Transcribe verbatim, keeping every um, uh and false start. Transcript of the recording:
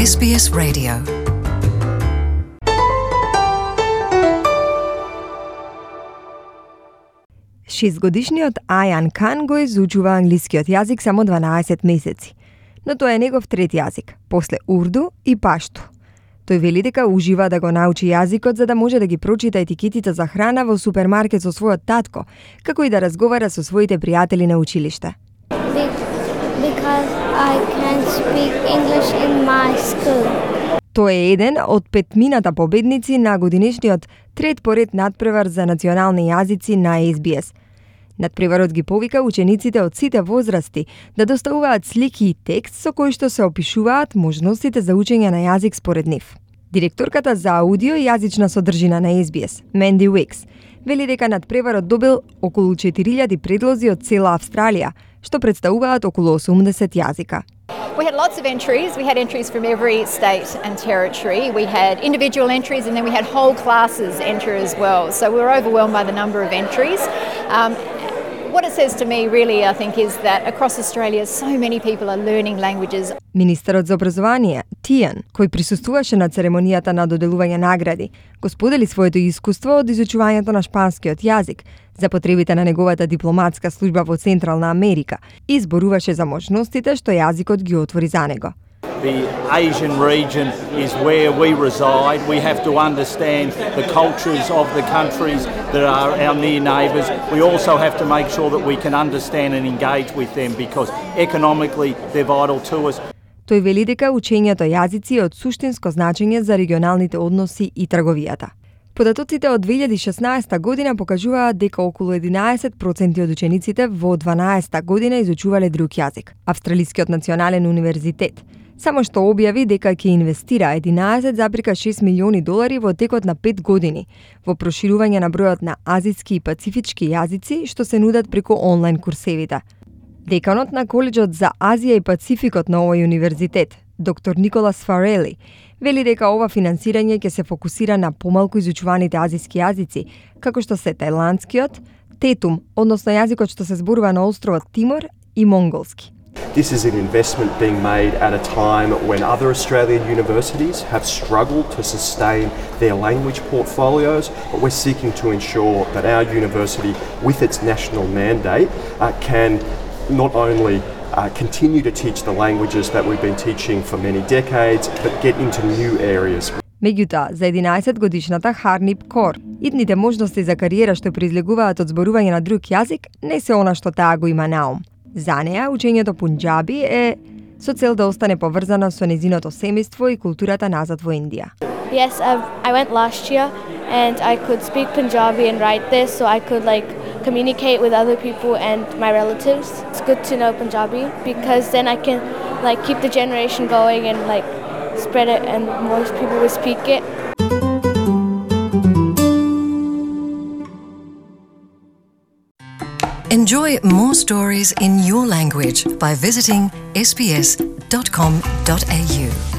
Ес Би Ес Radio. Шестгодишниот Ајан Кан го изучува англискиот јазик само дванаесет месеци, но тоа е негов трет јазик, после урду и пашту. Тој вели дека ужива да го научи јазикот за да може да ги прочита етикетите за храна во супермаркет со својот татко, како и да разговара со своите пријатели на училиште. Because I can speak English in my school. Тој е еден од петмината победници на годинешниот трет поред надпревар за национални јазици на Ес Би Ес. Надпреварот ги повика учениците од сите возрасти да доставуваат слики и текст со кои што се опишуваат можностите за учење на јазик според нив. Директорката за аудио и јазична содржина на Ес Би Ес, Менди Уикс, вели дека надпреварот добил околу четири илјади предлози од цела Австралија, што представуваат околу осумдесет јазика. We had lots of entries. We had entries from every state and territory. We had individual entries and then we had whole classes enter as well. So we were overwhelmed by the number of entries. Um, what it says to me really, I think, is that across Australia so many people are learning languages. Министерот за образование, Тијан, кој присуствуваше на церемонијата на доделување награди, го сподели своето искуство од изучувањето на шпанскиот јазик за потребите на неговата дипломатска служба во Централна Америка и зборуваше за можностите што јазикот ги отвори за него. The Asian region is where we reside. We have to understand the cultures of the countries that are our near neighbours. We also have to make sure that we can understand and engage with them because economically they're vital to us. Тој вели дека учењето јазици е од суштинско значење за регионалните односи и трговијата. Податоците од две илјади и шеснаесета година покажуваат дека околу единаесет проценти од учениците во дванаесета година изучувале друг јазик. Австралискиот национален универзитет само што објави дека ќе инвестира единаесет зарез и шест милиони долари во текот на пет години во проширување на бројот на азиски и пацифички јазици што се нудат преку онлайн курсевите. Деканот на Коледжот за Азија и Пацификот на овој универзитет, доктор Николас Фарели, вели дека ова финансирање ќе се фокусира на помалку изучуваните азиски јазици, како што се тајландскиот, тетум, односно јазикот што се зборува на островот Тимор, и монголски. This is an investment being made at a time when other Australian universities have struggled to sustain their language portfolios, but we're seeking to ensure that our university, with its national mandate, uh, can not only uh, continue to teach the languages that we've been teaching for many decades, but get into new areas. Меѓутоа, за единаесет годишната Харнип Кор, идните можности за кариера што произлегуваат од зборување на друг јазик не се она што таа го има на ум. За неа, учењето пунџаби е со цел да остане поврзано со незиното семејство и културата назад во Индија. Yes, I've, I went last year and I could speak Punjabi and write this, so I could like communicate with other people and my relatives. It's good to know Punjabi because then I can like keep the generation going and like spread it and more people will speak it. Enjoy more stories in your language by visiting S B S dot com dot A U.